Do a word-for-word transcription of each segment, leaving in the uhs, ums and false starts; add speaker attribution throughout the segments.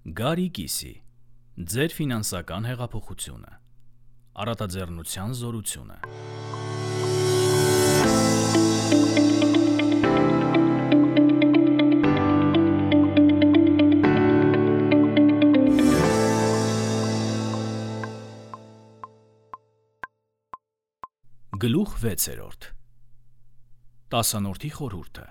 Speaker 1: Գարի Կիսի, ձեր ֆինանսական հեղափոխությունը, առատաձեռնության զորությունը։ Գլուխ վեցերորդ տասանորդի խորհուրդը։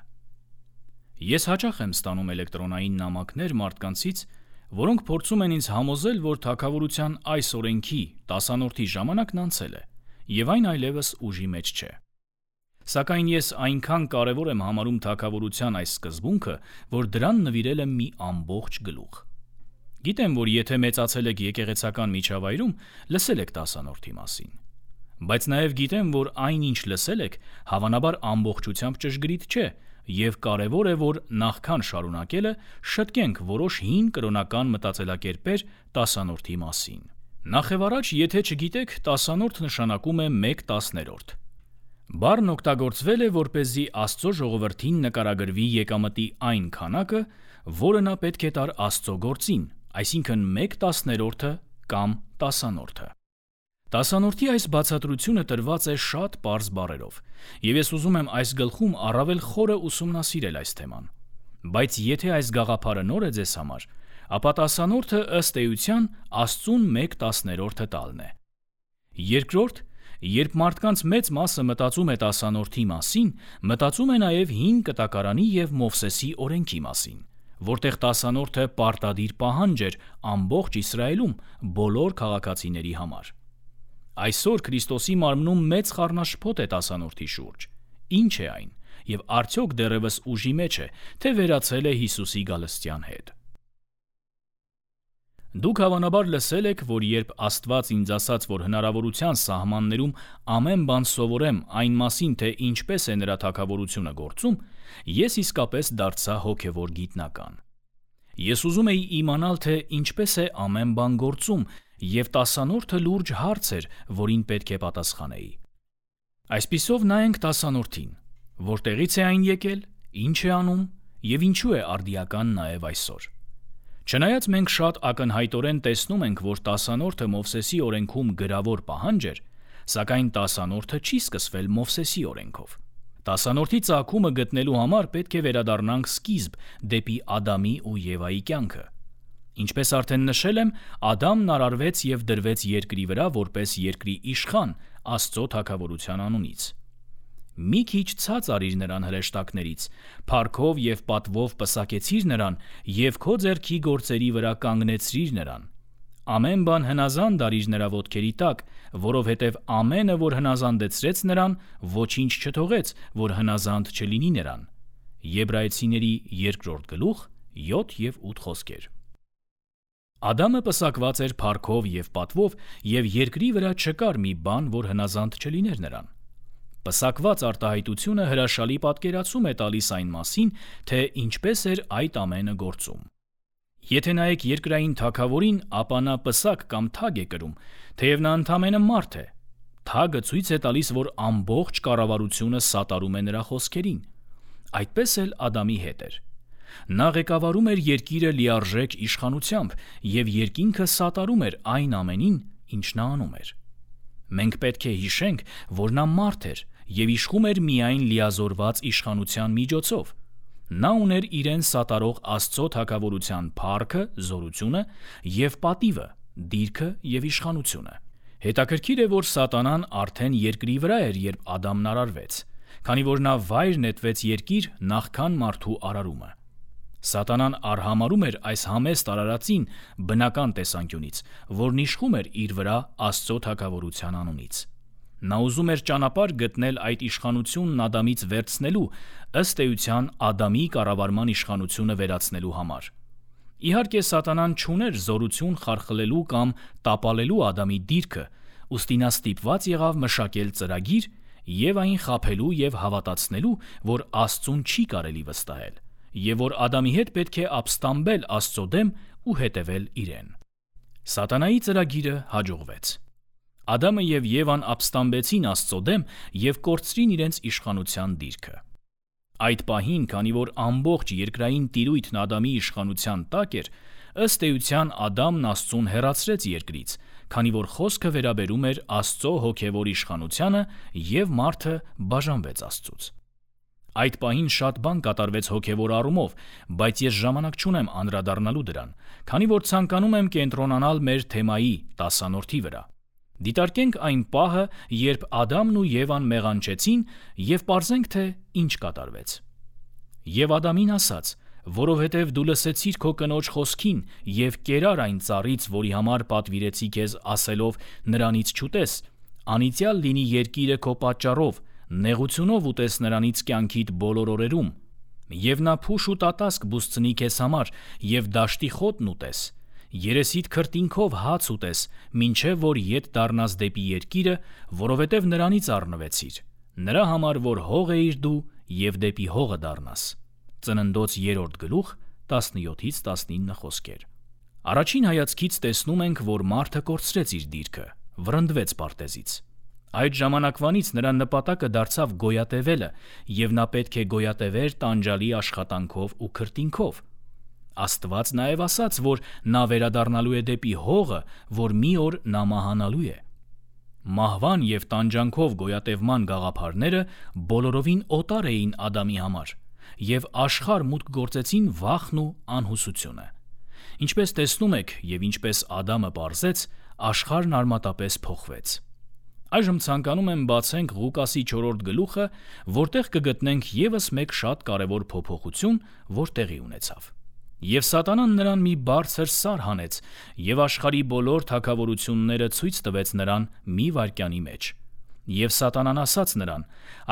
Speaker 1: Ես հաճախ եմ ստանում էլեկտրոնային նամակներ մարդկանցից, որոնք փորձում են ինձ համոզել, որ թագավորության այս օրենքի տասանորդի ժամանակն անցել է, եւ այն այլևս ուժի մեջ չէ։ Սակայն ես այնքան կարևոր եմ համարում թագավորության այս սկզբունքը, որ դրան նվիրել եմ մի ամբողջ գլուխ։ Գիտեմ, որ եթե մեծացել եք եկեղեցական միջավայրում, լսել եք տասանորդի մասին։ Բայց նաև գիտեմ, որ այն, ինչ լսել եք, հավանաբար ամբողջությամբ ճշգրիտ չէ, եւ կարևոր է, որ նախքան շարունակելը շտկենք որոշ հին կրոնական մտածելակերպեր տասանորդի մասին։ Նախևառաջ, եթե չգիտեք, տասանորդ նշանակում է մեկ տասներորդ։ Բառն օգտագործվել է, որպեսզի Աստծո ժողովրդին նկարագրվի եկամտի այն քանակը, որը նա պետք է տար Աստծո գործին, այսինքն մեկ տասներորդը կամ տասանորդը։ Տասանորդի այս բացատրությունը տրված է շատ պարզ բառերով, եւ ես ուզում եմ այս գլխում առավել խորը ուսումնասիրել այս թեման։ Բայց եթե այս գաղափարը նոր է ձեզ համար, ապա տասանորդը ըստ էության Աստծուն մեկ տասներորդը տալն է։ Երկրորդ, երբ մարդկանց մեծ մասը մտածում է տասանորդի մասին, մտածում է նաև հին կտակարանի եւ Մովսեսի օրենքի մասին, որտեղ տասանորդը պարտադիր պահանջ էր ամբողջ Իսրայելում բոլոր քաղաքացիների համար։ Այսօր Քրիստոսի մարմնում մեծ խառնաշփոթ է տասանորդի շուրջ։ Ինչ է այն, եւ արդյոք դեռևս ուժի մեջ է, թե վերացել է Հիսուսի գալստյան հետ։ Դուք հավանաբար լսել եք, որ երբ Աստված ինձ ասաց, որ հնարավորության սահմաններում ամեն բան սովորեմ այն մասին, թե ինչպես է նրա թագավորությունը գործում, ես իսկապես դարձա հոգևոր գիտնական։ Ես ուզում էի իմանալ, թե ինչպես է ամեն բան գործում, եւ տասանորդը լուրջ հարց էր, որին պետք է պատասխանեի։ Այսպիսով նայենք տասանորդին, որտեղից է այն եկել, ինչ է անում եւ ինչու է արդիական նաեւ այսօր։ Չնայած մենք շատ ակնհայտորեն տեսնում ենք, որ տասանորդը Մովսեսի օրենքում գրավոր պահանջ էր, սակայն տասանորդը չի սկսվել Մովսեսի օրենքով։ Տասանորդի ծագումը գտնելու համար պետք է վերադառնանք սկիզբ դեպի Ադամի ու Եվայի կյանքը։ Ինչպես արդեն նշել եմ, Ադամն արարվեց եւ դրվեց երկրի վրա որպես երկրի իշխան Աստծո թագավորության անունից։ Մի քիչ ցած արիր նրան հրեշտակներից, փառքով եւ պատվով պսակեցիր նրան եւ քո ձեռքի գործերի վրա կանգնեցրիր նրան։ Ամեն բան հնազանդ արիր նրա ոտքերի տակ, որովհետև ամենը, որ հնազանդեցրեց նրան, ոչինչ չթողեց, որ հնազանդ չլինի նրան։ Եբրայեցիների երկրորդ գլուխ յոթ եւ ութ խոսքեր։ Ադամը պսակված էր փառքով եւ պատվով, եւ երկրի վրա չկար մի բան, որ հնազանդ չլիներ նրան։ Պսակված արտահայտությունը հրաշալի պատկերացում է տալիս այն մասին, թե ինչպես էր այդ ամենը գործում։ Եթե նայեք երկրային թագավորին, ապա նա պսակ կամ թագ է կրում, թեև նա ընդամենը մարդ է։ Թագը ցույց է տալիս, որ ամբողջ կառավարությունը սատարում է նրա խոսքերին։ Այդպես էլ Ադամի հետ էր։ Նա ղեկավարում էր երկիրը լիարժեք իշխանությամբ եւ երկինքը սատարում էր այն ամենին, ինչ նա անում էր։ Մենք պետք է հիշենք, որ նա մարդ էր եւ իշխում էր միայն լիազորված իշխանության միջոցով։ Նա ուներ իրեն սատարող Աստծո թագավորության փառքը, զորությունը եւ պատիվը, դիրքը եւ իշխանությունը։ Հետաքրքիր է, որ Սատանան արդեն երկրի վրա էր, երբ Ադամն արարվեց, քանի որ նա վայր նետվեց երկիր նախքան մարդու արարումը։ Սատանան արհամարում էր այս համեստ արարածին բնական տեսանկյունից, որն իշխում էր իր վրա Աստծո թագավորության անունից։ Նա ուզում էր ճանապարհ գտնել այդ իշխանությունն Ադամից վերցնելու, ըստ էության Ադամի կառավարման իշխանությունը վերացնելու համար։ Իհարկե, Սատանան չուներ զորություն խարխլելու կամ տապալելու Ադամի դիրքը, ուստի նա ստիպված եղավ մշակել ծրագիր եւ այն խաբելու եւ հավատացնելու, որ Աստծուն չի կարելի վստահել, եւ որ Ադամի հետ պետք է ապստամբել Աստծո դեմ ու հետևել իրեն։ Սատանայի ծրագիրը հաջողվեց։ Ադամը եւ Եվան ապստամբեցին Աստծո դեմ եւ կորցրին իրենց իշխանության դիրքը։ Այդ պահին, քանի որ ամբողջ երկրային տիրույթն Ադամի իշխանության տակ էր, Ըստ էության Ադամն Աստծուն հեռացրեց երկրից, քանի որ խոսքը վերաբերում էր Աստծո հոգևոր իշխանությանը և մարդը բաժանվեց Աստծուց։ Այդ պահին շատ բան կատարվեց հոգևոր առումով, բայց ես ժամանակ չունեմ անդրադառնալու դրան, քանի որ ցանկանում եմ կենտրոնանալ մեր թեմայի տասանորդի վրա։ Դիտարկենք այն պահը, երբ Ադամն ու Եվան մեղանչեցին, և պարզենք, թե ինչ կատարվեց։ Եվ Ադամին ասաց. «Որովհետև դու լսեցիր քո կնոջ խոսքին և կերար այն ծառից, որի համար պատվիրեցի քեզ, ասելով. նրանից չուտես, անիծյալ լինի երկիրը քո պատճառով, նեղությունով ուտես նրանից կյանքիդ բոլոր օրերում, և նա փուշ ու տատասկ բուսցնի քեզ համար, և դաշտի խոտն ուտես, երեսիդ քրտինքով հաց ուտես, մինչև որ ետ դառնաս դեպի երկիրը, որովհետև նրանից առնվեցիր, նրա համար, որ հող էիր դու, և դեպի հողը դառնաս»։ Ծննդոց երրորդ գլուխ տասնյոթից տասնինը խոսքեր։ Առաջին հայացքից տեսնում ենք, որ մարդը կորցրեց իր դիրքը, վռնդվեց պարտեզից։ Այդ ժամանակվանից նրա նպատակը դարձավ գոյատևելը, և նա պետք է գոյատևեր տանջալի աշխատանքով ու քրտինքով։ Աստված նաև ասաց, որ նա վերադառնալու է դեպի հողը, որ մի օր նա մահանալու է։ Մահվան և տանջանքով գոյատևման գաղափարները բոլորովին օտար էին Ադամի համար, և աշխարհ մուտք գործեցին վախն ու անհուսությունը։ Ինչպես տեսնում եք, և ինչպես Ադամը պարզեց, աշխարհն արմատապես փոխվեց։ Այժմ ցանկանում եմ բացենք Ղուկասի չորրորդ գլուխը, որտեղ կգտնենք ևս մեկ շատ կարևոր փոփոխություն, որ տեղի ունեցավ։ Եվ Սատանան նրան մի բարձր սար հանեց, և աշխարհի բոլոր թագավորությունները ցույց տվեց նրան մի վայրկյանի մեջ։ Եվ Սատանան ասաց նրան.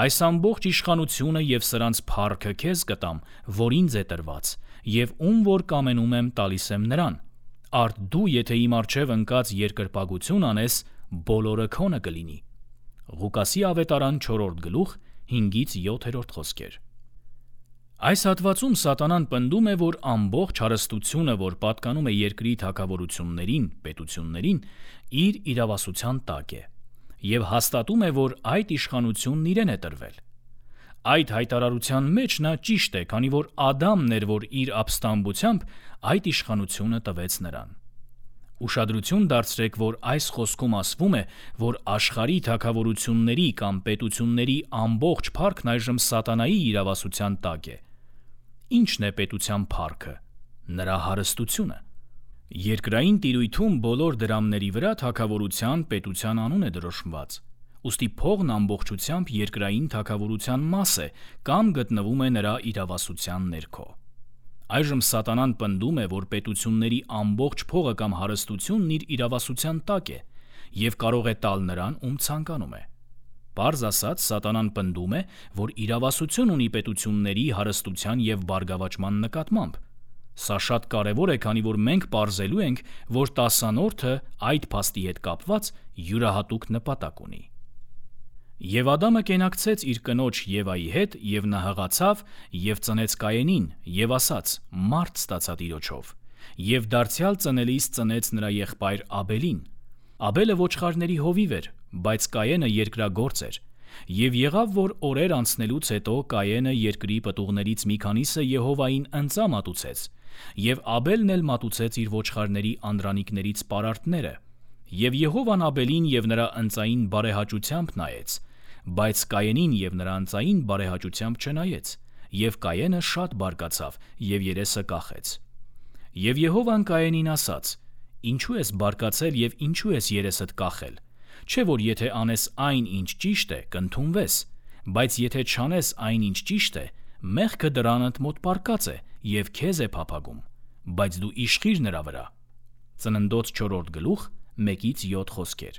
Speaker 1: «Այս ամբողջ իշխանությունը և սրանց փառքը քեզ կտամ, որ ինձ է տրված, և ում որ կամենում եմ տալիս եմ նրան։ Արդ դու, եթե իմ առջև ընկած երկրպագություն անես, բոլորը քոնը կլինի»։ Ղուկասի ավետարան չորրորդ գլուխ հինգից յոթերորդ խոսքեր։ Այս հատվածում Սատանան պնդում է, որ ամբողջ հարստությունը, որ պատկանում է երկրի թագավորություններին, պետություններին, իր իրավասության տակ է, և հաստատում է, որ այդ իշխանությունն իրեն է տրվել։ Այդ հայտարարության մեջ նա ճիշտ է, քանի որ Ադամն էր, որ իր ապստամբությամբ այդ իշխանությունը տվեց նրան։ Ուշադրություն դարձրեք, որ այս խոսքում ասվում է, որ աշխարհի թագավորությունների կամ պետությունների ամբողջ փառքն այժմ Սատանայի իրավասության տակ է։ Ի՞նչն է պետության փառքը։ Նրա հարստությունը։ Երկրային տիրույթում բոլոր դրամների վրա թագավորության, պետության անուն է դրոշմված։ Ուստի փողն ամբողջությամբ երկրային թագավորության մաս է կամ գտնվում է նրա իրավասության ներքո։ Այժմ Սատանան պնդում է, որ պետությունների ամբողջ փողը կամ հարստությունն իր իրավասության տակ է և կարող է տալ նրան, ում ցանկանում է։ Պարզ ասած, Սատանան պնդում է, որ իրավասություն ունի պետությունների հարստության և բարգավաճման նկատմամբ։ Սա շատ կարևոր է, քանի որ մենք պարզելու ենք, որ տասանորդը այդ փաստի հետ կապված յուրահատուկ նպատակ ունի։ Եվ Ադամը կենակցեց իր կնոջ Եվայի հետ, և նա հղացավ և ծնեց Կայենին, և ասաց. «Մարդ ստացա Տիրոջով», և դարձյալ ծնելիս ծնեց նրա եղբայր Աբելին։ Աբելը ոչխարների հովիվ էր, բայց Կայենը երկրագործ էր։ Եվ եղավ, որ օրեր անցնելուց հետո Կայենը երկրի պտուղներից մի քանիսը Եհովային ընծա մատուցեց, և Աբելն էլ մատուցեց իր ոչխարների անդրանիկներից պարարտները։ Եվ Եհովան Աբելին և նրա ընծային բարեհաճությամբ նայեց, բայց Կայենին և նրա ընծային բարեհաճությամբ չնայեց, և Կայենը շատ բարկացավ և երեսը կախեց։ Եվ Եհովան Կայենին ասաց. «Ինչու ես բարկացել և ինչու ես երեսդ կախել։ Չէ՞ որ եթե անես այն, ինչ ճիշտ է, կընդունվես, բայց եթե չանես այն, ինչ ճիշտ է, մեղքը դռանդ մոտ պառկած է և քեզ է փափագում, բայց դու իշխիր նրա վրա»։ Ծննդոց չորրորդ գլուխ մեկից յոթ խոսքեր։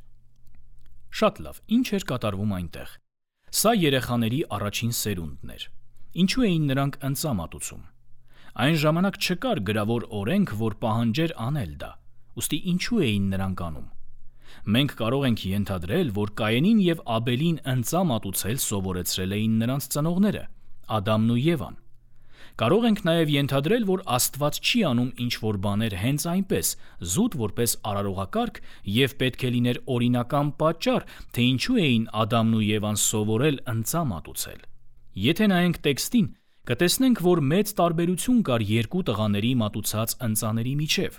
Speaker 1: Շատ լավ, ի՞նչ էր կատարվում այնտեղ։ Սա երեխաների առաջին սերունդն էր։ Ինչու էին նրանք ընծա մատուցում։ Այն ժամանակ չկար գրավոր օրենք, որ պահանջեր անել դա, ուստի ինչու էին նրանք անում։ Մենք կարող ենք ենթադրել, որ Կայենին և Աբելին ընծա մատուցել սովորեցրել էին նրանց ծնողները՝ Ադամն ու Եվան։ Կարող ենք նաև ենթադրել, որ Աստված չի անում ինչ-որ բաներ հենց այնպես, զուտ որպես արարողակարգ, և պետք է լիներ օրինական պատճառ, թե ինչու էին Ադամն ու Եվան սովորել ընծա մատուցել։ Եթե նայենք տեքստին, Կտեսնենք, որ մեծ տարբերություն կար երկու տղաների մատուցած ընծաների միջև։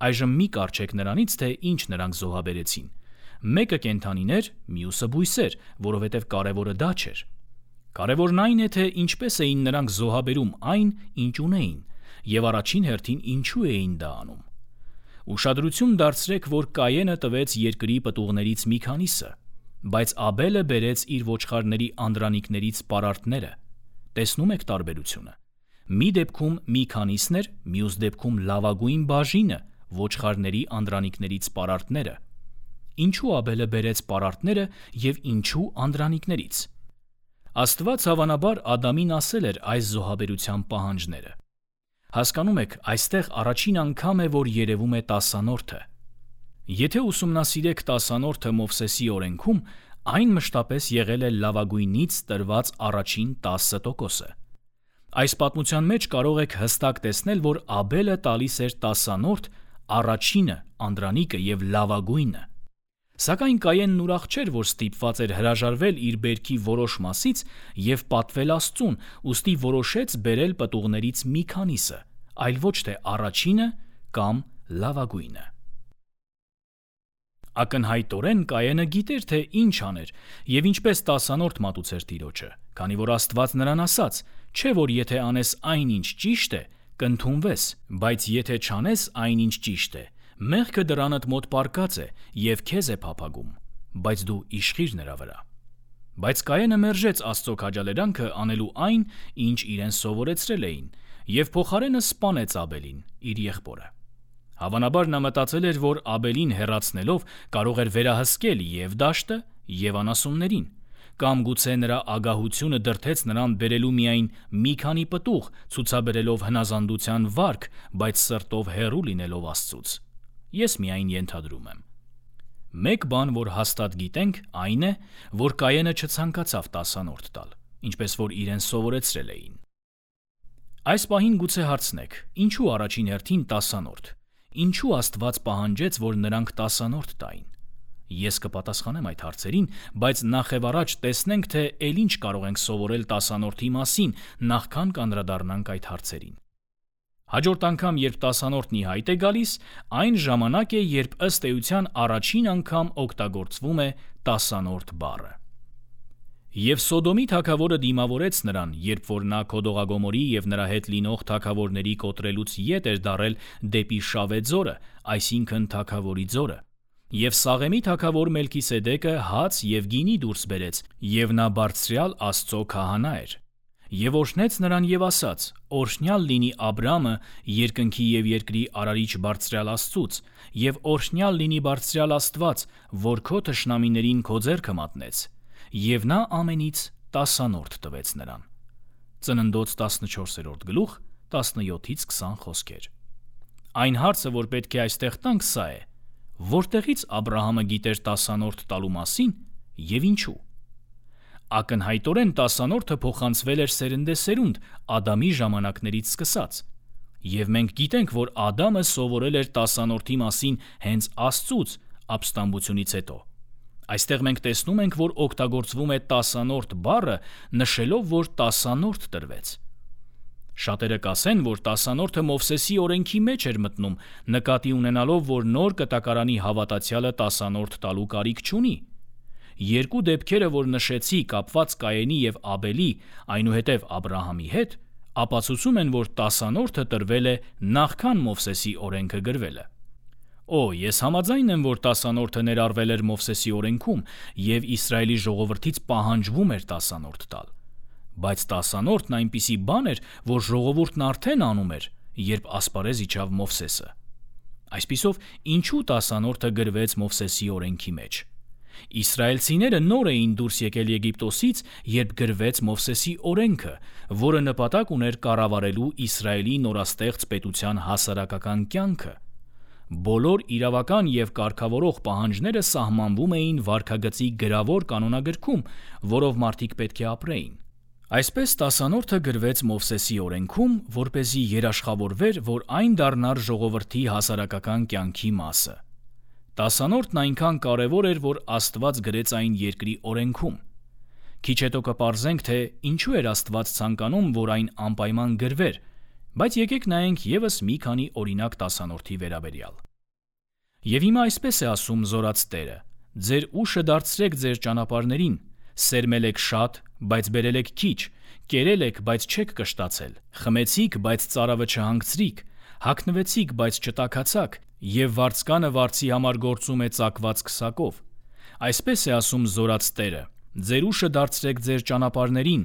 Speaker 1: Այժմ մի կարճեք նրանից, թե ինչ նրանք զոհաբերեցին։ Մեկը կենդանիներ, մյուսը բույսեր, որովհետև կարևորը դա չէր։ Կարևորն այն է, թե ինչպես էին նրանք զոհաբերում այն, ինչ ունեին, եւ առաջին հերթին ինչու էին դա անում։ Ուշադրություն դարձրեք, որ Կայենը տվեց երկրի պտուղներից մի քանիսը, բայց Աբելը բերեց իր ոչխարների անդրանիկներից պարարտները։ Տեսնում եք տարբերությունը։ Մի դեպքում մի քանիսն էր, մյուս դեպքում լավագույն բաժինը, ոչխարների անդրանիկներից պարարտները։ Ինչու Աբելը բերեց պարարտները եւ ինչու անդրանիկներից։ Աստված հավանաբար Ադամին ասել էր այս զոհաբերության պահանջները։ Հասկանում եք, այստեղ առաջին անգամ է, որ երևում է տասանորդը։ Եթե ուսումնասիրեք տասանորդը Մովսեսի օրենքում, այն մշտապես եղել է լավագույնից տրված առաջին տասը տոկոսը։ Այս պատմության մեջ կարող եք հստակ տեսնել, որ Աբելը տալիս էր տասանորդ, առաջինը, անդրանիկը եւ լավագույնը։ Սակայն Կայենն ուրախ չէր, որ ստիպված էր հրաժարվել իր բերքի որոշ մասից եւ պատվել Աստծուն, ուստի որոշեց բերել պտուղներից մի քանիսը, այլ ոչ թե առաջինը կամ լավագույնը։ Ակնհայտորեն Կայենը գիտեր, թե ինչ աներ եւ ինչպես տասանորդ մատուցեր Տիրոջը, քանի որ Աստված նրան ասաց. չէ որ եթե անես այնինչ ճիշտ է, կընդունվես, բայց եթե չանես այնինչ ճիշտ է, մեղքը դրանդ մոտ պառկած է եւ քեզ է փափագում, բայց դու իշխիր նրա վրա։ Բայց Կայենը մերժեց Աստծո քաջալերանքը անելու այն, ինչ իրեն սովորեցրել էին, եւ փոխարենը սպանեց Աբելին, իր եղբորը։ Հավանաբար նա մտածել էր, որ Աբելին հեռացնելով կարող էր վերահսկել եւ դաշտը, եւ անասուններին, կամ գուցե նրա ագահությունը դրդեց նրան բերելու միայն մի քանի պտուղ, ցուցաբերելով հնազանդության վարք, բայց սրտով հեռու լինելով Աստծուց։ Ես միայն ենթադրում եմ։ Մեկ բան, որ հաստատ գիտենք, այն է, որ Կայենը չցանկացավ տասանորդ տալ, ինչպես որ իրեն սովորեցրել էին։ Այս պահին գուցե հարցնեք, ինչու առաջին հերթին տասանորդ։ Ինչու Աստված պահանջեց, որ նրանք տասանորդ տային։ Ես կպատասխանեմ այդ հարցերին, բայց նախևառաջ տեսնենք, թե ել ինչ կարող ենք սովորել տասանորդի մասին, նախքան կանդրադառնանք այդ հարցերին։ Հաջորդ անգամ, երբ տասանորդն ի հայտ է գալիս, այն ժամանակ է, երբ ըստ էության առաջին անգամ օգտագործվում է տասանորդ բառը։ Եվ Սոդոմի թագավորը դիմավորեց նրան, երբ որ նա Քոդողագոմորի եւ նրա հետ լինող թագավորների կոտրելուց ետ էր դարել դեպի Շավե ձորը, այսինքն թագավորի ձորը։ Եվ Սաղեմի թագավոր Մելքիսեդեկը հաց եւ գինի դուրս բերեց, եւ նա բարձրյալ Աստծո քահանա էր։ Եվ օրհնեց նրան եւ ասաց. «Օրհնյալ լինի Աբրամը, երկնքի եւ երկրի արարիչ բարձրյալ Աստծուց, եւ օրհնյալ լինի բարձրյալ Աստված, որ քո թշնամիներին քո ձեռքը մատնեց»։ Եվ նա ամենից տասանորդ տվեց նրան։ Ծննդոց տասնչորսերորդ գլուխ տասնյոթից քսան խոսքեր։ Այն հարցը, որ պետք է այստեղ տանք, սա է. որտեղից Աբրահամը գիտեր տասանորդ տալու մասին եւ ինչու։ Ակնհայտորեն տասանորդը փոխանցվել էր սերնդեսերունդ Ադամի ժամանակներից սկսած։ Եվ մենք գիտենք, որ Ադամը սովորել էր տասանորդի մասին հենց Աստծուց ապստամբությունից հետո։ Այստեղ մենք տեսնում ենք, որ օգտագործվում է տասանորդ բառը, նշելով, որ տասանորդ տրվեց։ Շատերը կասեն, որ տասանորդը Մովսեսի օրենքի մեջ էր մտնում, նկատի ունենալով, որ նոր կտակարանի հավատացյալը տասանորդ տալու կարիք չունի։ Երկու դեպքերը, որ նշեցի, կապված Կայենի եւ Աբելի, այնուհետև Աբրահամի հետ, ապացուցում են, որ տասանորդը տրվել է նախքան Մովսեսի օրենքը գրվելը։ Օ, ես համաձայն եմ, որ տասանորդը ներառվել էր Մովսեսի օրենքում եւ Իսրայելի ժողովրդից պահանջվում էր տասանորդ տալ։ Բայց տասանորդն այնպիսի բան էր, որ ժողովուրդն արդեն անում էր, երբ ասպարեզ իջավ Մովսեսը։ Այսպիսով, ինչու տասանորդը գրվեց Մովսեսի օրենքի մեջ։ Իսրայելցիները նոր էին դուրս եկել Եգիպտոսից, երբ գրվեց Մովսեսի օրենքը, որը նպատակ ուներ կառավարելու Իսրայելի նորաստեղծ պետության հասարակական կյանքը։ Բոլոր իրավական եւ կարգավորող պահանջները սահմանվում էին վարքագծի գրավոր կանոնագրքում, որով մարդիկ պետք է ապրեին։ Այսպես տասանորդը գրվեց Մովսեսի օրենքում, որպեսզի երաշխավորվեր, որ այն դառնար ժողովրդի հասարակական կյանքի մասը։ Տասանորդն այնքան կարևոր էր, որ Աստված գրեց այն երկրի օրենքում։ Քիչ հետո կպարզենք, թե ինչու էր Աստված ցանկանում, որ այն անպայման գրվեր, բայց եկեք նայենք ևս մի քանի օրինակ տասանորդի վերաբերյալ։ Եվ հիմա այսպես է ասում Զորաց Տերը. «Ձեր ուշը դարձրեք ձեր ճանապարհներին, սերմել եք շատ, բայց բերել եք քիչ, կերել եք, բայց չեք կշտացել, խմեցիք, բայց ծարավը չհանգցրիք, հագնվեցիք, բայց չտաքացաք, եւ վարձկանը վարձի համար գործում է ծակված քսակով»։ Այսպես է ասում Զորաց Տերը. «Ձեր ուշը դարձրեք ձեր ճանապարհներին,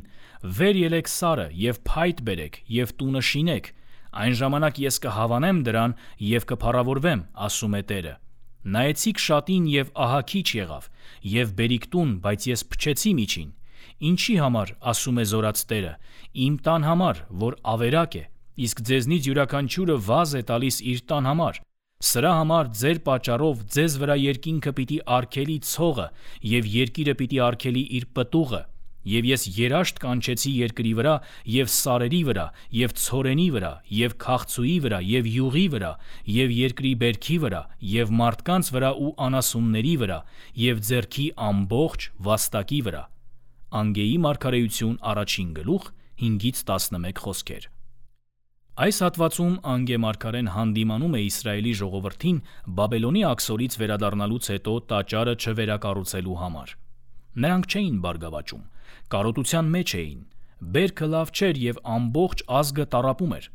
Speaker 1: վեր ելեք սարը եւ փայտ բերեք եւ տունը շինեք, այն ժամանակ ես կհավանեմ դրան եւ կփառավորվեմ, ասում է Տերը։ Նայեցիք շատին եւ ահա քիչ եղավ, եւ բերիք տուն, բայց ես փչեցի միջին։ Ինչի համար, ասում է Զորաց Տերը, իմ տան համար, որ ավերակ է, իսկ ձեզնից յուրաքանչյուրը վազ է տալիս իր տան համար։ Սրա համար ձեր պատճառով ձեզ վրա երկինքը պիտի արգելի ցողը եւ երկիրը պիտի արգելի իր պտուղը, եւ ես երաշտ կանչեցի երկրի վրա եւ սարերի վրա եւ ցորենի վրա եւ քաղցուի վրա եւ յուղի վրա եւ երկրի բերքի վրա եւ մարդկանց վրա ու անասունների վրա եւ ձեռքի ամբողջ վաստակի վրա»։ Անգեի մարգարեություն առաջին գլուխ հինգից տասնմեկ խոսքեր։ Այս հատվածում Անգե մարգարեն հանդիմանում է Իսրայելի ժողովրդին Բաբելոնի աքսորից վերադառնալուց հետո տաճարը չվերակառուցելու համար։ Նրանք չէին բարգավաճում, կարոտության մեջ էին, բերքը լավ չէր եւ ամբողջ ազգը տառապում էր։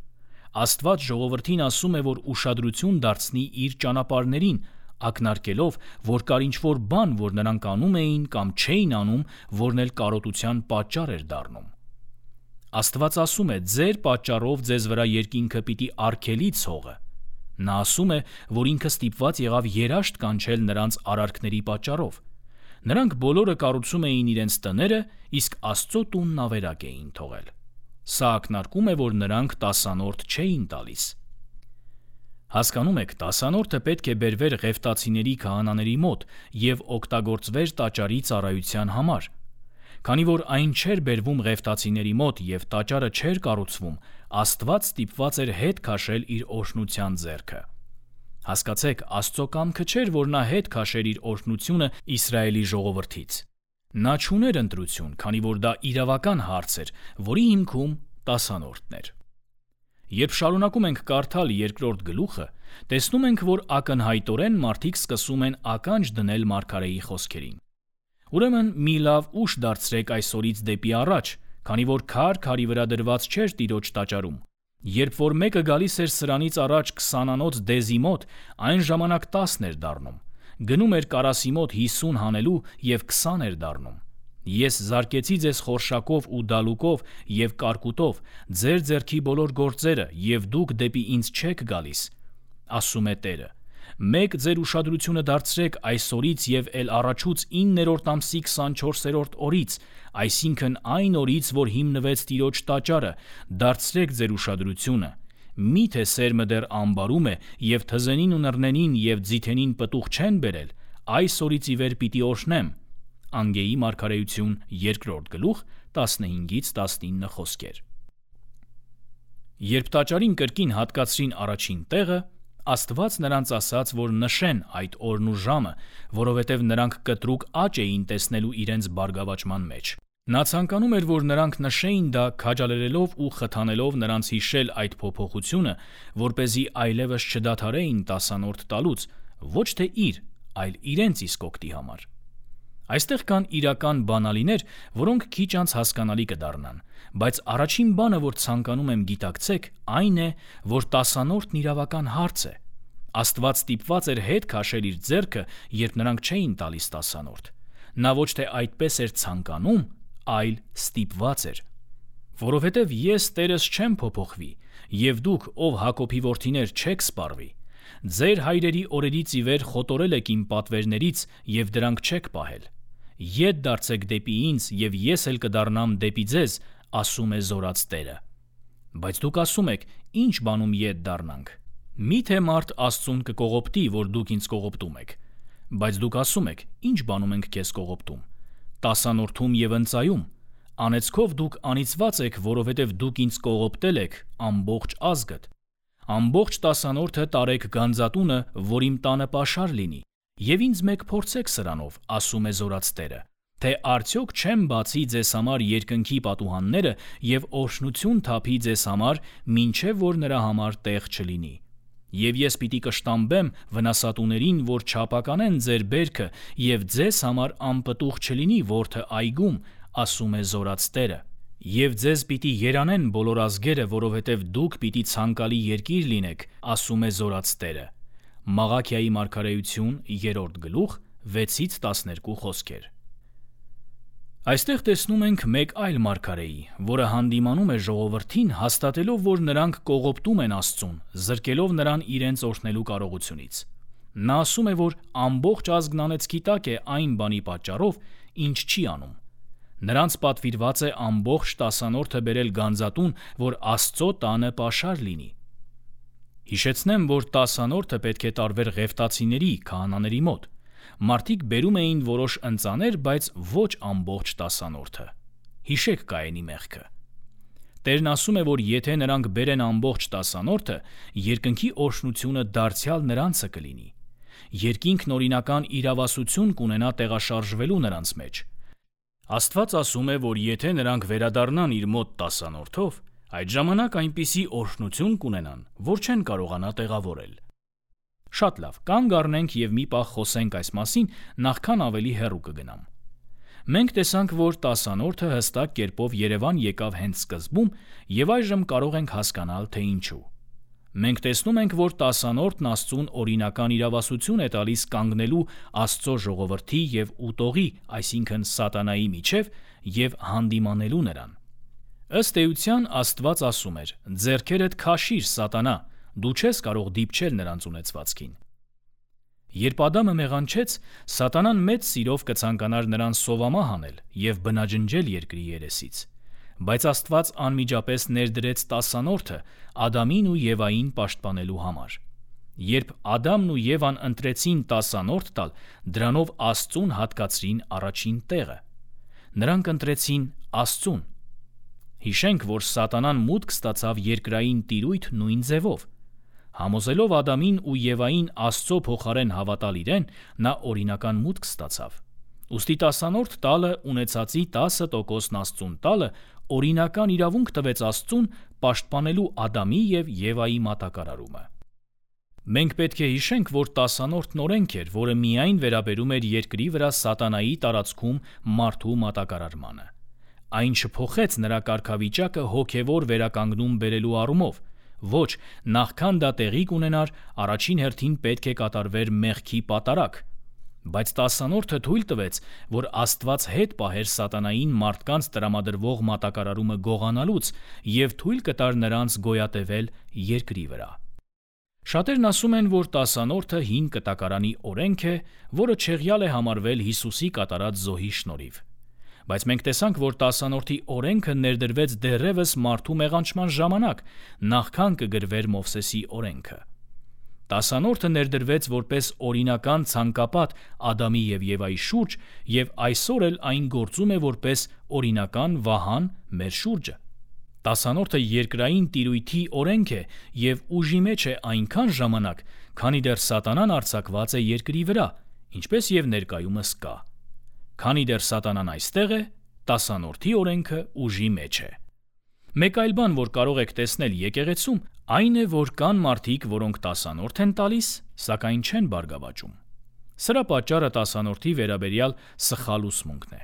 Speaker 1: Աստված ժողովրդին ասում է, որ ուշադրություն դարձնի իր ճանապարհներին, ակնարկելով, որ կար ինչ-որ բան, որ նրանք անում էին կամ չէին անում, որն էլ կարոտության պատճառ էր դառնում։ Աստված ասում է. «Ձեր պատճառով ձեզ վրա երկինքը պիտի արգելի ցողը»։ Նա ասում է, որ ինքը ստիպված եղավ երաշտ կանչել նրանց արարքների պատճառով։ Նրանք բոլորը կառուցում էին իրենց տները, իսկ Աստծո տունն ավերակ էին թողել։ Սա ակնարկում է, որ նրանք տասանորդ չէին տալիս։ Հասկանում եք, տասանորդը պետք է բերվեր Ղևտացիների քահանաների մոտ եւ օգտագործվեր տաճարի ծառայության համար։ Քանի որ այն չէր բերվում Ղևտացիների մոտ եւ տաճարը չէր կառուցվում, Աստված ստիպված էր հետ քաշել իր օրհնության ձեռքը։ Հասկացեք, Աստծո կամքը չէր, որ նա հետ քաշեր իր օրհնությունը Իսրայելի ժողովրդից։ Նա չուներ ընտրություն, քանի որ դա իրավական հարց էր, որի հիմքում տասանորդն էր։ Երբ շարունակում ենք կարդալ երկրորդ գլուխը, տեսնում ենք, որ ակնհայտորեն մարդիկ սկսում են ականջ դնել մարգարեի խոսքերին։ Ուրեմն մի լավ ուշ դարձրեք այսօրից դեպի առաջ, քանի որ քար քարի վրա դրված չէր Տիրոջ տաճարում։ Երբ որ մեկը գալիս էր սրանից առաջ քսանանոց դեզի մոտ, այն ժամանակ տասն էր դառնում, գնում էր կարասի մոտ հիսուն հանելու եւ քսան էր դառնում։ Ես զարկեցի ձեզ խորշակով ու դալուկով եւ կարկուտով, ձեր ձեռքի բոլոր գործերը, եւ դուք դեպի ինձ չեք գալիս, ասում է Տերը։ Մեկ ձեր ուշադրությունը դարձրեք այսօրից եւ էլ առաջուց իններորդ ամսի քսանչորսերորդ օրից, այսինքն այն օրից, որ հիմնվեց Տիրոջ տաճարը, դարձրեք ձեր ուշադրությունը։ Միթե սերմը դեռ ամբարում է եւ թզենին ու նռնենին եւ ձիթենին պտուղ չեն բերել, այս օրից ի վեր պիտի օրհնեմ։ Անգեի մարգարեություն երկրորդ գլուխ տասնհինգից տասնինը խոսքեր։ Երբ տաճարին կրկին հատկացրին առաջին տեղը, Աստված նրանց ասաց, որ նշեն այդ օրն ու ժամը, որովհետև նրանք կտրուկ աճ էին տեսնելու իրենց բարգավաճման մեջ։ Նա ցանկանում էր, որ նրանք նշեին դա, քաջալերելով ու խթանելով նրանց հիշել այդ փոփոխությունը, որպեսզի այլևս չդադարեին տասանորդ տալուց, ոչ թե իր, այլ իրենց իսկ օգտի համար։ Այստեղ կան իրական բանալիներ, որոնք քիչ անց հասկանալի կդառնան, բայց առաջին բանը, որ ցանկանում եմ գիտակցեք, այն է, որ տասանորդն իրավական հարց է։ Աստված ստիպված էր հետ քաշել իր ձեռքը, երբ նրանք չէին տալիս տասանորդ։ Նա ոչ թե այդպես էր ցանկանում, այլ ստիպված էր։ Որովհետև ես Տերս չեմ փոփոխվի, եւ դուք, ով Հակոբի որդիներ, չեք սպառվի։ Ձեր հայրերի օրերից ի վեր խոտորել եք իմ պատվերներից եւ դրանք չեք պահել։ Ետ դարձեք դեպի ինձ եւ ես էլ կդառնամ դեպի ձեզ, ասում է Զորաց Տերը։ Բայց դուք ասում եք. ինչ բանում ետ դառնանք։ Միթե մարդ Աստծուն կկողոպտի, որ դուք ինձ կողոպտում եք։ Բայց դուք ասում եք. ինչ բանում ենք քեզ կողոպտում։ Տասանորդում եւ ընծայում։ Անեծքով դուք անիծված եք, որովհետեւ դուք ինձ կողոպտել եք ամբողջ ազգդ։ Ամբողջ տասանորդը տարեք գանձատունը, որ իմ տանը պաշար լինի, եւ ինձ մեկ փորձեք սրանով, ասում է Զորաց Տերը, թե արդյոք չեմ բացի ձեզ համար երկնքի պատուհանները և օրհնություն թափի ձեզ համար, մինչև որ նրա համար տեղ չլինի։ Եվ ես պիտի կշտամբեմ վնասատուներին, որ չափականեն ձեր բերքը, և ձեզ համար անպտուղ չլինի որդը այգում, ասում է Զորաց Տերը։ Եվ ձեզ պիտի երանեն բոլոր ազգերը, որովհետև դուք պիտի ցանկալի երկիր լինեք, ասում է Զորաց Տերը։ Մաղաքիայի մարգարեություն, երրորդ գլուխ, վեցից տասներկու խոսքեր։ Այստեղ տեսնում ենք մեկ այլ մարգարեի, որը հանդիմանում է ժողովրդին, հաստատելով, որ նրանք կողոպտում են Աստծուն, զրկելով նրան իրենց օրհնելու կարողությունից։ Նա ասում է, որ ամբողջ ազգն անեծքի տակ է այն բանի պատճառով, ինչ չի անում։ Նրանց պատվիրված է ամբողջ տասանորդը բերել գանձատուն, որ Աստծո տանը պաշար լինի։ Հիշեցնեմ, որ տասանորդը պետք է տարվեր ղևտացիների, քահանաների մոտ։ Մարդիկ բերում էին որոշ ընծաներ, բայց ոչ ամբողջ տասանորդը։ Հիշեք Կայենի մեղքը։ Տերն ասում է, որ եթե նրանք բերեն ամբողջ տասանորդը, երկնքի օրհնությունը դարձյալ նրանցը կլինի։ Երկինքն օրինական իրավասություն կունենա տեղաշարժվելու նրանց մեջ։ Աստված ասում է, որ եթե նրանք վերադառնան իր մոտ տասանորդով, այդ ժամանակ այնպիսի օրհնություն կունենան, որ չեն կարողանա տեղավորել։ Շատ լավ, կանգ առնենք և մի պահ խոսենք այս մասին, նախքան ավելի հեռու կգնամ։ Մենք տեսանք, որ տասանորդը հստակ կերպով Երևան եկավ հենց սկզբում, և այժմ կարող ենք հասկանալ, թե ինչու։ Մենք տեսնում ենք, որ տասանորդն Աստծուն օրինական իրավասություն է տալիս կանգնելու Աստծո ժողովրդի և ուտողի, այսինքն սատանայի միջև, և հանդիմանելու նրան։ Ըստ էության Աստված ասում էր. «Ձեռքերդ քաշիր, սատանա, դու չես կարող դիպչել նրանց ունեցվածքին»։ Երբ Ադամը մեղանչեց, սատանան մեծ սիրով կցանկանար նրան սովամահ անել և բնաջնջել երկրի երեսից։ Բայց Աստված անմիջապես ներդրեց տասանորդը Ադամին ու Եվային պաշտպանելու համար։ Երբ Ադամն ու Եվան ընտրեցին տասանորդ տալ, դրանով Աստծուն հատկացրին առաջին տեղը։ Նրանք ընտրեցին Աստծուն։ Հիշենք, որ սատանան մուտք ստացավ երկրային տիրույթ նույն ձևով։ Համոզելով Ադամին ու Եվային Աստծո փոխարեն հավատալ իրեն, նա օրինական մուտք ստացավ։ Ուստի տասանորդ տալը ունեցածի տասը տոկոսն Աստծուն տալը օրինական իրավունք տվեց Աստծուն պաշտպանելու Ադամի և Եվայի մատակարարումը։ Մենք պետք է հիշենք, որ տասանորդն օրենք էր, որը միայն վերաբերում էր երկրի վրա սատանայի տարածքում մարդու մատակարարմանը։ Այն չփոխեց նրա կարգավիճակը հոգևոր վերականգնում բերելու առումով։ Ոչ, նախքան դա տեղի կունենար, առաջին հերթին պետք է կատարվեր մեղքի պատարագ։ Բայց տասանորդը թույլ տվեց, որ Աստված հետ պահեր սատանային մարդկանց տրամադրվող մատակարարումը գողանալուց և թույլ կտար նրանց գոյատևել երկրի վրա։ Շատերն ասում են, որ տասանորդը հին կտակարանի օրենք է, որը չեղյալ է համարվել Հիսուսի կատարած զոհի շնորհիվ։ Բայց մենք տեսանք, որ տասանորդի օրենքը ներդրվեց դեռևս մարդու մեղանչման ժամանակ, նախքան կգրվեր Մովսեսի օրենքը։ Տասանորդը ներդրվեց որպես օրինական ցանկապատ Ադամի և Եվայի շուրջ, և այսօր էլ այն գործում է որպես օրինական վահան մեր շուրջը։ Տասանորդը երկրային տիրույթի օրենք է և ուժի մեջ է այնքան ժամանակ, քանի դեռ սատանան արձակված է երկրի վրա, ինչպես և ներկայումս կա։ Քանի դեռ սատանան այստեղ է, տասանորդի օրենքը ուժի մեջ է։ Մեկ այլ բան, որ կարող եք տեսնել եկեղեցում, այն է, որ կան մարդիկ, որոնք տասանորդ են տալիս, սակայն չեն բարգավաճում։ Սրա պատճառը տասանորդի վերաբերյալ սխալ ուսմունքն է։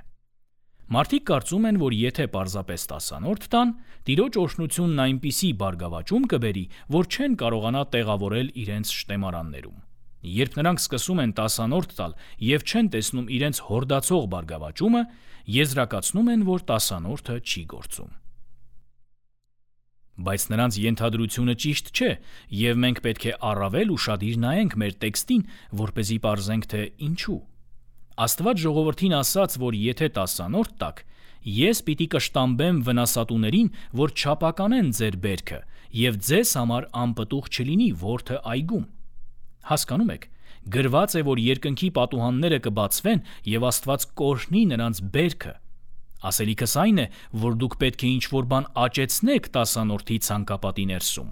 Speaker 1: Մարդիկ կարծում են, որ եթե պարզապես տասանորդ տան, Տիրոջ օրհնությունն այնպիսի բարգավաճում կբերի, որ չեն կարողանա տեղավորել իրենց շտեմարաններում։ Երբ նրանք սկսում են տասանորդ տալ և չեն տեսնում իրենց հորդացող բարգավաճումը, եզրակացնում են, որ տասանորդը չի գործում։ Բայց նրանց ենթադրությունը ճիշտ չէ, և մենք պետք է առավել ուշադիր նայենք մեր տեքստին, որպեսզի պարզենք, թե ինչու։ Աստված ժողովրդին ասաց, որ եթե տասանորդ տաք, ես պիտի կշտամբեմ վնասատուներին, որ չափականեն ձեր բերքը, և ձեզ համար անպտուղ չլինի որդը այգում։ Հասկանում եք, գրված է, որ երկնքի պատուհանները կբացվեն, և Աստված կօրհնի նրանց բերքը։ Ասելիքս այն է, որ դուք պետք է ինչ-որ բան աճեցնեք տասանորդի ցանկապատի ներսում։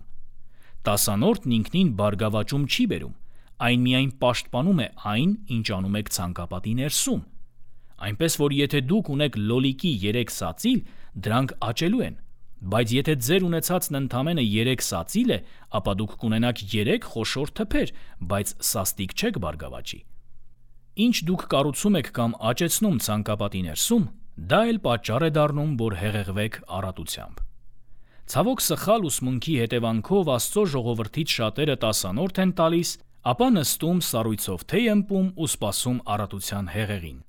Speaker 1: Տասանորդն ինքնին բարգավաճում չի բերում, այն միայն պաշտպանում է այն, ինչ անում եք ցանկապատի ներսում։ Այնպես որ եթե դուք ունեք լոլիկի երեք սածիլ, դրանք աճելու են, բայց եթե ձեր ունեցածն ընդամենը երեք սածիլ է, ապա դուք կունենաք երեք խոշոր թփեր, բայց սաստիկ չեք բարգավաճի։ Ինչ դուք կառուցում եք կամ աճեցնում ցանկապատի ներսում, դա էլ պատճառ է դառնում, որ հեղեղվեք առատությամբ։ Ցավոք սխալ ուսմունքի հետևանքով Աստծո ժողովրդից շատերը տասանորդ են տալիս, ապա նստում սառույցով թեյ ըմպում ու սպասում առատության հեղեղին։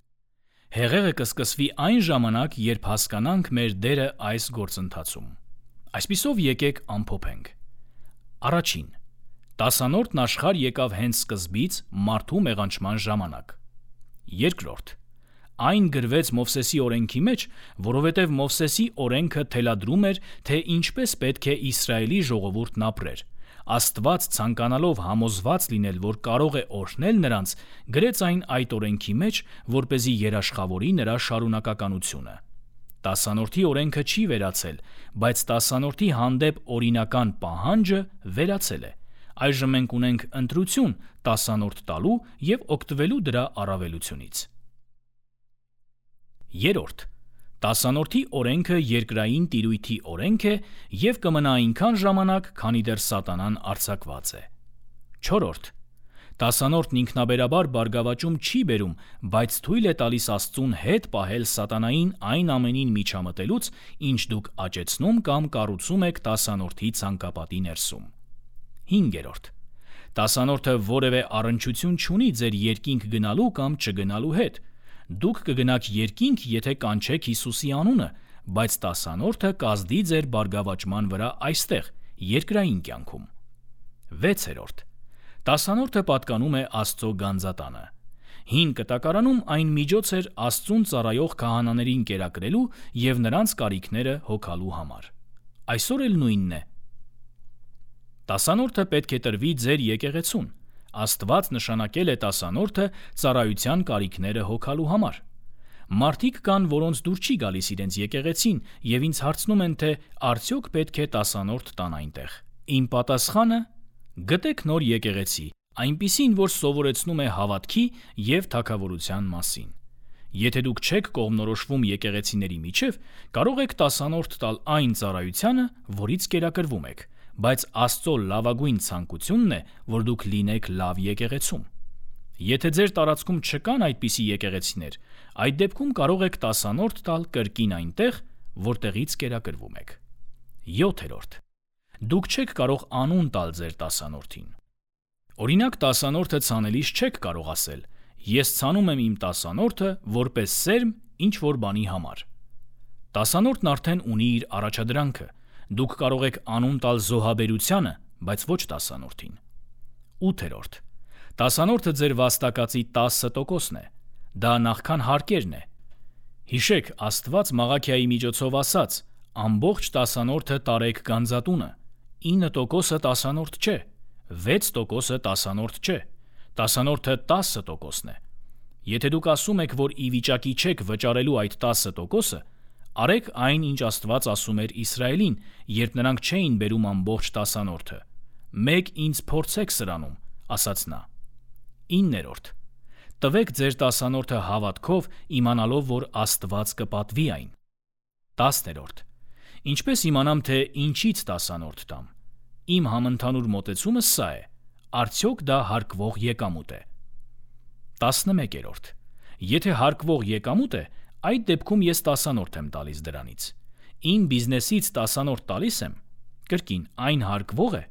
Speaker 1: Հեղեղը կսկսվի այն ժամանակ, երբ հասկանանք մեր դերը այս գործընթացում։ Այսպիսով եկեք ամփոփենք։ Առաջին. տասանորդն աշխարհ եկավ հենց սկզբից մարդու մեղանչման ժամանակ։ Երկրորդ. այն գրվեց Մովսեսի օրենքի մեջ, որովհետև Մովսեսի օրենքը թելադրում էր, թե ինչպես պետք է Իսրայելի ժողովուրդն ապրեր։ Աստված ցանկանալով համոզված լինել, որ կարող է օրհնել նրանց, գրեց այն այդ օրենքի մեջ, որպեսզի երաշխավորի նրա շարունակականությունը։ Տասանորդի օրենքը չի վերացել, բայց տասանորդի հանդեպ օրինական պահանջը վերացել է։ Այժմ մենք ունենք ընտրություն տասանորդ տալու և օգտվելու դրա առավելությունից։ Երորդ. տասանորդի օրենքը երկրային տիրույթի օրենք է և կմնա այնքան ժամանակ, քանի դեռ սատանան արձակված է։ Չորրորդ. տասանորդն ինքնաբերաբար բարգավաճում չի բերում, բայց թույլ է տալիս Աստծուն հետ պահել սատանային այն ամենին միջամտելուց, ինչ դուք աճեցնում կամ կառուցում եք տասանորդի ցանկապատի ներսում։ Հինգերորդ. տասանորդը որևէ առնչություն չունի ձեր երկինք գնալու կամ չգնալու հետ։ Դուք կգնաք երկինք, եթե կանչեք Հիսուսի անունը, բայց տասանորդը կազդի ձեր բարգավաճման վրա այստեղ, երկրային կյանքում։ Վեցերորդ. տասանորդը պատկանում է Աստծո գանձատանը։ Հին կտակարանում այն միջոց էր Աստծուն ծառայող քահանաներին կերակրելու և նրանց կարիքները հոգալու համար։ Այսօր էլ նույնն է։ Տասանորդը պետք է տրվի ձեր եկեղեցուն։ Աստված նշանակել է տասանորդը ծառայության կարիքները հոգալու համար։ Մարդիկ կան, որոնց դուր չի գալիս իրենց եկեղեցին և ինձ հարցնում են, թե արդյոք պետք է տասանորդ տան այնտեղ։ Իմ պատասխանը՝ գտեք նոր եկեղեցի, այնպիսին, որ սովորեցնում է հավատքի և թագավորության մասին։ Եթե դուք չեք կողմնորոշվում եկեղեցիների միջև, կարող եք տասանորդ տալ այն ծառայությանը, որից կերակրվում եք, բայց Աստծո լավագույն ցանկությունն է, որ դուք լինեք լավ եկեղեցում։ Եթե ձեր տարածքում չկան այդպիսի եկեղեցիներ, այդ դեպքում կարող եք տասանորդ տալ կրկին այնտեղ, որտեղից կերակրվում եք։ Յոթերորդ. դուք չեք կարող անուն տալ ձեր տասանորդին։ Օրինակ, տասանորդը ցանելիս չեք կարող ասել. ես ցանում եմ իմ տասանորդը որպես սերմ ինչ-որ բանի համար։ Տասանորդն արդեն ունի իր առաջադրանքը։ Դուք կարող եք անուն տալ զոհաբերությանը, բայց ոչ տասանորդին։ Ութերորդ. տասանորդը ձեր վաստակածի տասը տոկոսն է։ Դա նախքան հարկերն է։ Հիշեք, Աստված Մաղաքիայի միջոցով ասաց. ամբողջ տասանորդը տարեք գանձատունը։ ինը տոկոսը տասանորդ չէ, վեց տոկոսը տասանորդ չէ, տասանորդը տասը տոկոսն է։ Եթե դուք ասում եք, որ ի վիճակի չեք վճարելու այդ տասը տոկոսը, արեք այն, ինչ Աստված ասում էր Իսրայելին, երբ նրանք չէին բերում ամբողջ տասանորդը։ Մեկ ինձ փորձեք սրանում, ասաց նա։ Իններորդ. տվեք ձեր տասանորդը հավատքով, իմանալով, որ Աստված կպատվի այն։ Տասներորդ. ինչպես իմանամ, թե ինչից տասանորդ տամ։ Իմ համընդհանուր մոտեցումը սա է. արդյոք դա հարկվող եկամուտ է։ Տասնմեկերորդ. եթե հարկվող եկամուտ է, այդ դեպքում ես տասանորդ եմ տալիս դրանից։ Իմ բիզնեսից տասանորդ տալիս եմ, կրկին այն հարկվող է։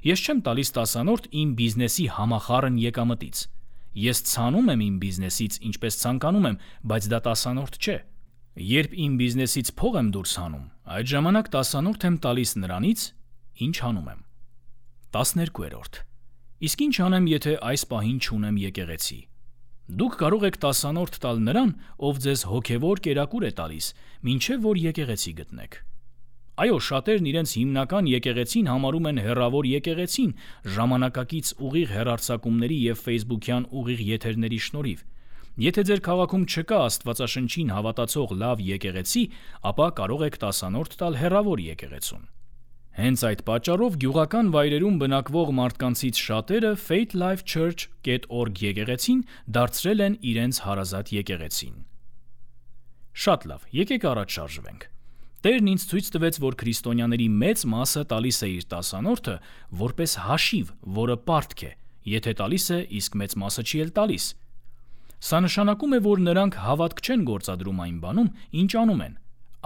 Speaker 1: Ես չեմ տալիս տասանորդ իմ բիզնեսի համախառն եկամտից։ Ես ցանում եմ իմ բիզնեսից, ինչպես ցանկանում եմ, բայց դա տասանորդ չէ։ Երբ իմ բիզնեսից փող եմ դուրս հանում, այդ ժամանակ տասանորդ եմ տալիս նրանից, ինչ հանում եմ։ Տասներկուերորդ. իսկ ինչ անեմ, եթե այս պահին չունեմ եկեղեցի։ Դուք կարող եք տասանորդ տալ նրան, ով ձեզ հոգևոր կերակուր է տալիս, մինչև որ եկեղեցի գտնեք։ Այո, շատերն իրենց հիմնական եկեղեցին համարում են հեռավոր եկեղեցին, ժամանակակից ուղիղ հեռարձակումների և ֆեյսբուքյան ուղիղ եթերների շնորհիվ։ Եթե ձեր քաղաքում չկա Աստվածաշնչին հավատացող լավ եկեղեցի, ապա կարող եք տասանորդ տալ հեռավոր եկեղեցուն։ Հենց այդ պատճառով գյուղական վայրերում բնակվող մարդկանցից շատերը faithlifechurch dot org եկեղեցին դարձրել են իրենց հարազատ եկեղեցին։ Շատ լավ, եկեք առաջ շարժվենք։ Տերն ինձ ցույց տվեց, որ քրիստոնյաների մեծ մասը տալիս է իր տասանորդը որպես հաշիվ, որը պարտք է, եթե տալիս է, իսկ մեծ մասը չի էլ տալիս։ Սա նշանակում է, որ նրանք հավատք չեն գործադրում այն բանում, ինչ անում են,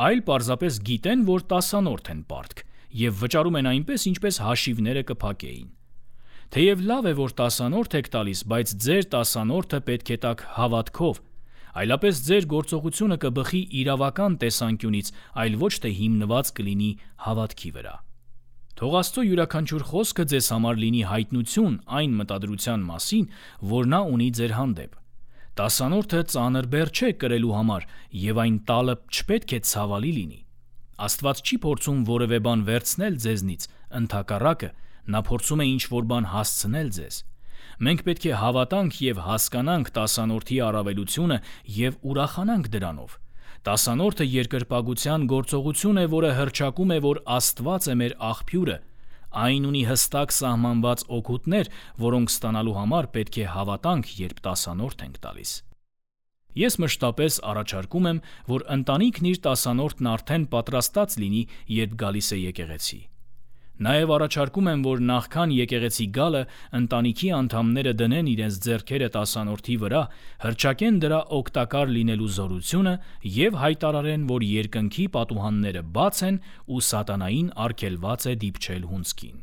Speaker 1: այլ պարզապես գիտեն, որ տասանորդ են պարտք, եւ վճարում են այնպես, ինչպես հաշիվները կփակեին։ Թեև լավ է, որ տասանորդ եք տալիս, բայց ձեր տասանորդը պետք է տաք հավատքով, այլապես ձեր գործողությունը կբխի իրավական տեսանկյունից, այլ ոչ թե հիմնված կլինի հավատքի վրա։ Թող Աստծո յուրաքանչյուր խոսքը ձեզ համար լինի հայտնություն այն մտադրության մասին, որ նա ունի ձեր հանդեպ։ Տասանորդը ծանր բեռ չէ կրելու համար, եւ այն տալը չպետք է ցավալի լինի։ Աստված չի փորձում որևէ բան վերցնել ձեզնից, ընդհակառակը, նա փորձում է ինչ-որ բան հասցնել ձեզ։ Մենք պետք է հավատանք եւ հասկանանք տասանորդի առավելությունը եւ ուրախանանք դրանով։ Տասանորդը երկրպագության գործողություն է, որը հռչակում է, որ Աստված է մեր աղբյուրը։ Այն ունի հստակ սահմանված օգուտներ, որոնք ստանալու համար պետք է հավատանք, երբ տասանորդ ենք տալիս։ Ես մշտապես առաջարկում եմ, որ ընտանիքն իր տասանորդն արդեն պատրաստած լինի, երբ գալիս է եկեղեցի։ Նաև առաջարկում եմ, որ նախքան եկեղեցի գալը ընտանիքի անդամները դնեն իրենց ձեռքերը տասանորդի վրա, հռչակեն դրա օգտակար լինելու զորությունը եւ հայտարարեն, որ երկնքի պատուհանները բաց են ու սատանային արգելված է դիպչել հունձքին։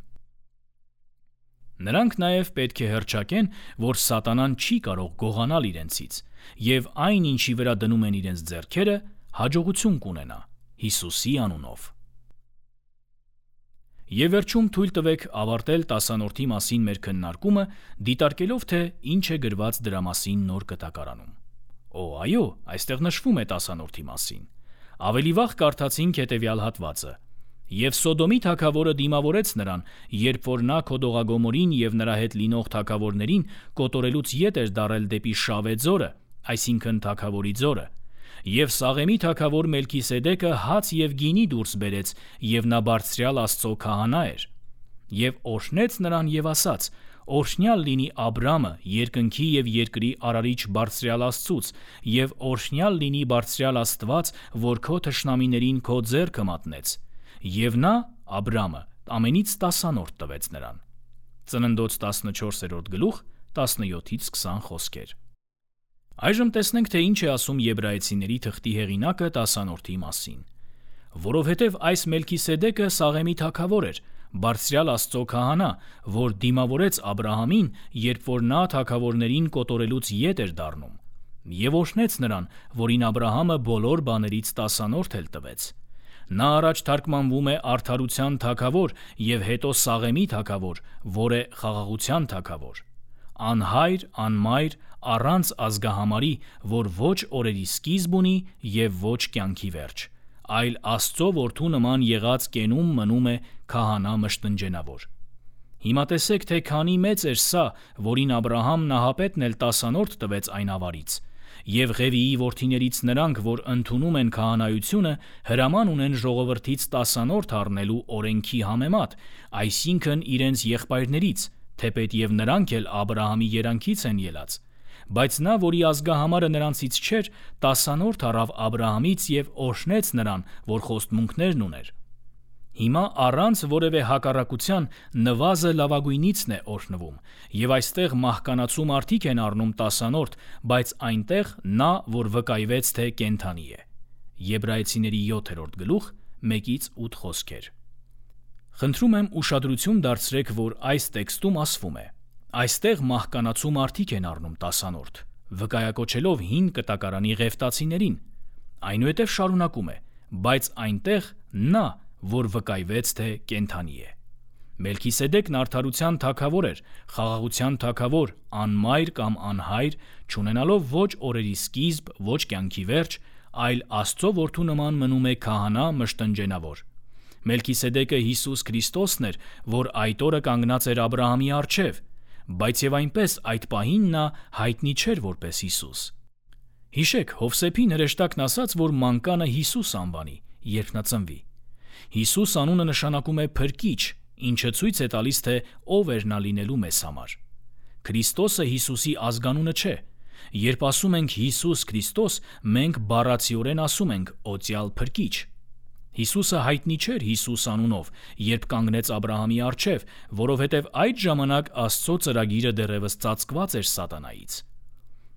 Speaker 1: Նրանք նաև պետք է հռչակեն, որ սատանան չի կարող գողանալ իրենցից, եւ այն, ինչի վրա դնում են իրենց ձեռքերը, հաջողություն կունենա Հիսուսի անունով։ Եվ վերջում թույլ տվեք ավարտել տասանորդի մասին մեր քննարկումը, դիտարկելով, թե ինչ է գրված դրա մասին նոր կտակարանում։ Օ, այո, այստեղ նշվում է տասանորդի մասին։ Ավելի վաղ կարդացինք հետևյալ հատվածը. «Եվ Սոդոմի թագավորը դիմավորեց նրան, երբ որ նա Քոդողագոմորին եւ նրա հետ լինող թագավորներին կոտորելուց ետ էր դարել դեպի Շավե ձորը, այսինքն թագավորի ձորը։ Եվ Սաղեմի թագավոր Մելքիսեդեկը հաց եւ գինի դուրս բերեց, եւ նա բարձրյալ Աստծո քահանա էր։ Եվ օրհնեց նրան եւ ասաց. Օրհնյալ լինի Աբրամը, երկնքի եւ երկրի արարիչ բարձրյալ Աստծուց, եւ օրհնյալ լինի բարձրյալ Աստված, որ քո թշնամիներին քո ձեռքը մատնեց։ Եվ նա, Աբրամը, ամենից տասանորդ տվեց նրան»։ Ծննդոց տասնչորսերորդ գլուխ տասնյոթից քսան խոսքեր։ Այժմ տեսնենք, թե ինչ է ասում Եբրայեցիների թղթի հեղինակը տասանորդի մասին։ Որովհետև այս Մելքիսեդեկը Սաղեմի թագավոր էր, բարձրյալ Աստծո քահանա, որ դիմավորեց Աբրահամին, երբ որ նա թագավորներին կոտորելուց ետ էր դառնում, եւ օրհնեց նրան, որին Աբրահամը բոլոր բաներից տասանորդ էլ տվեց։ Նա առաջ թարգմանվում է արդարության թագավոր եւ հետո Սաղեմի թագավոր, որ է խաղաղության թագավոր։ Անհայր, անմայր, առանց ազգահամարի, որ ոչ օրերի սկիզբ ունի եւ ոչ կյանքի վերջ, այլ Աստծո որդու նման եղած կենում մնում է քահանա մշտնջենավոր։ Հիմա տեսեք, թե քանի մեծ էր սա, որին Աբրահամ նահապետն էլ տասանորդ տվեց այն ավարից, եւ Ղևիի որդիներից նրանք, որ ընդունում են քահանայությունը, հրաման ունեն ժողովրդից տասանորդ առնելու օրենքի համեմատ, այսինքն իրենց եղբայրներից, թեպետ եւ նրանք էլ Աբրահամի երանքից են ելած։ Բայց նա, որի ազգահամարը նրանցից չէր, տասանորդ առավ Աբրահամից եւ օրհնեց նրան, որ խոստմունքներն ուներ։ Հիմա առանց որևէ հակառակության նվազը լավագույնիցն է օրհնվում, եւ այստեղ մահկանացու մարդիկ են առնում տասանորդ, բայց այնտեղ նա, որ վկայվեց, թե կենդանի է։ Եբրայեցիների յոթերորդ գլուխ մեկից ութ խոսքեր։ Խնդրում եմ ուշադրություն դարձրեք, որ այս տեքստում ասվում է. այստեղ մահկանացու մարդիկ են առնում տասանորդ, վկայակոչելով հին կտակարանի ղևտացիներին։ Այնուհետև շարունակում է. բայց այնտեղ նա, որ վկայվեց, թե կենդանի է։ Մելքիսեդեկն արդարության թագավոր էր, խաղաղության թագավոր, անմայր կամ անհայր, չունենալով ոչ օրերի սկիզբ, ոչ կյանքի վերջ, այլ Աստծո որդու նման մնում է քահանա մշտնջենավոր։ Մելքիսեդեկը Հիսուս Քրիստոսն էր, որ այդ օրը կանգնած էր Աբրահամի առջև, բայց եւ այնպես այդ պահին նա հայտնի չէր որպես Հիսուս։ Հիշեք, Հովսեփին հրեշտակն ասաց, որ մանկանը Հիսուս անվանի, երբ նա ծնվի։ Հիսուս անունը նշանակում է փրկիչ, ինչը ցույց է տալիս, թե ով էր նա լինելու մեզ համար։ Քրիստոսը Հիսուսի ազգանունը չէ, Երբ ասում ենք Հիսուս Քրիստոս, մենք բառացիորեն ասում ենք «օծյալ փրկիչ»։ Հիսուսը հայտնի չէր Հիսուս անունով, երբ կանգնեց Աբրահամի առջև, որովհետև այդ ժամանակ Աստծո ծրագիրը դեռևս ծածկված էր սատանայից։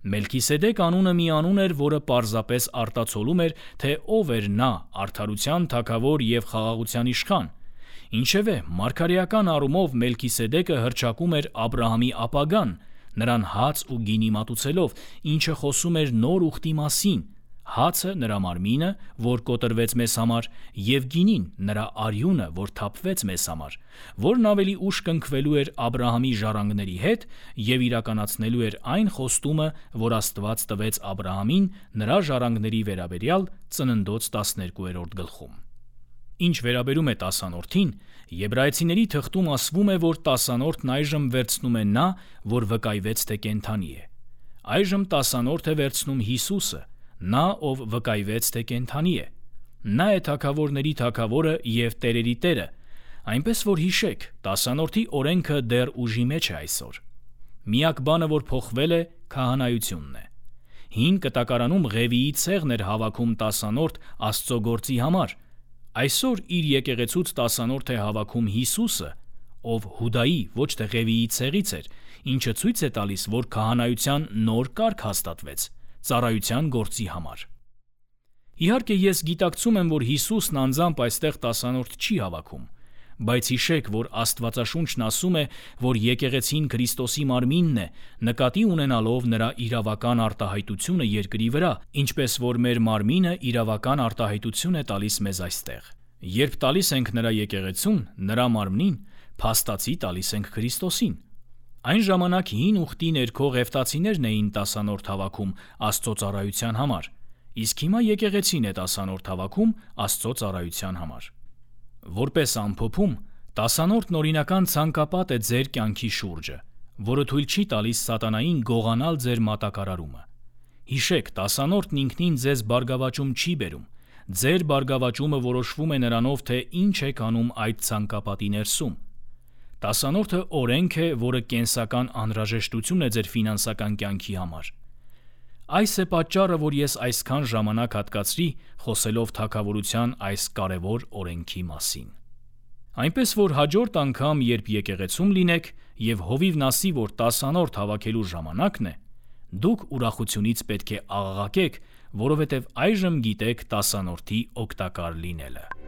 Speaker 1: Մելքիսեդեկ անունը մի անուն էր, որը պարզապես արտացոլում էր, թե ով էր նա, արդարության թագավոր և խաղաղության իշխան։ Ինչևէ, մարգարեական առումով Մելքիսեդեկը հռչակում էր Աբրահամի ապագան, նրան հաց ու գինի մատուցելով, ինչը խոսում էր նոր ուխտի մասին, հացը նրա մարմինը, որ կոտրվեց մեզ համար, և գինին նրա արյունը, որ թափվեց մեզ համար, որն ավելի ուշ կնքվելու էր Աբրահամի ժառանգների հետ և իրականացնելու էր այն խոստումը, որ Աստված տվեց Աբրահամին նրա ժառանգների վերաբերյալ Ծննդոց տասներկուերորդ գլխում։ Ինչ վերաբերում է տասանորդին, Եբրայեցիների թղթում ասվում է, որ տասանորդն այժմ վերցնում է նա, որ վկայվեց, թե կենդանի է։ Այժմ տասանորդ է վերցնում Հիսուսը, նա, ով վկայվեց, թե կենդանի է։ Նա է թագավորների թագավորը և տերերի տերը, այնպես որ հիշեք, տասանորդի օրենքը դեռ ուժի մեջ է այսօր։ Միակ բանը, որ փոխվել է, քահանայությունն է։ Հին կտակարանում Ղևիի ցեղն էր հավաքում տասանորդ Աստծո գործի համար։ Այսօր իր եկեղեցուց տասանորդ է հավաքում Հիսուսը, ով Հուդայի, ոչ թե Ղևիի ցեղից էր, ինչը ցույց է տալիս, որ քահանայության նոր կարգ հաստատվեց ծառայության գործի համար։ Իհարկե, ես գիտակցում եմ, որ Հիսուսն անձամբ այստեղ տասանորդ չի հավաքում, բայց հիշեք, որ Աստվածաշունչն ասում է, որ եկեղեցին Քրիստոսի մարմինն է, նկատի ունենալով նրա իրավական արտահայտությունը երկրի վրա, ինչպես որ մեր մարմինը իրավական արտահայտություն է տալիս մեզ այստեղ։ Երբ տալիս ենք նրա եկեղեցուն, նրա մարմնին, փաստացի տալիս ենք Քրիստոսին։ Այն ժամանակ հին ուխտի ներքո ղևտացիներն էին տասանորդ հավաքում Աստծո ծառայության համար, իսկ հիմա եկեղեցին է տասանորդ հավաքում Աստծո ծառայության համար։ Որպես ամփոփում, տասանորդն օրինական ցանկապատ է ձեր կյանքի շուրջը, որը թույլ չի տալիս սատանային գողանալ ձեր մատակարարումը։ Հիշեք, տասանորդն ինքնին ձեզ բարգավաճում չի բերում, ձեր բարգավաճումը որոշվում է նրանով, թե ինչ եք անում այդ ցանկապատի ներսում։ Տասանորդը օրենք է, որը կենսական անհրաժեշտություն է ձեր ֆինանսական կյանքի համար։ Այս է պատճառը, որ ես այսքան ժամանակ հատկացրի խոսելով թագավորության այս կարևոր օրենքի մասին։ Այնպես որ հաջորդ անգամ, երբ եկեղեցում լինեք և հովիվն ասի, որ տասանորդ հավաքելու ժամանակն է, դուք ուրախությունից պետք է աղաղակեք, որովհետև այժմ գիտեք տասանորդի օգտակար լինելը։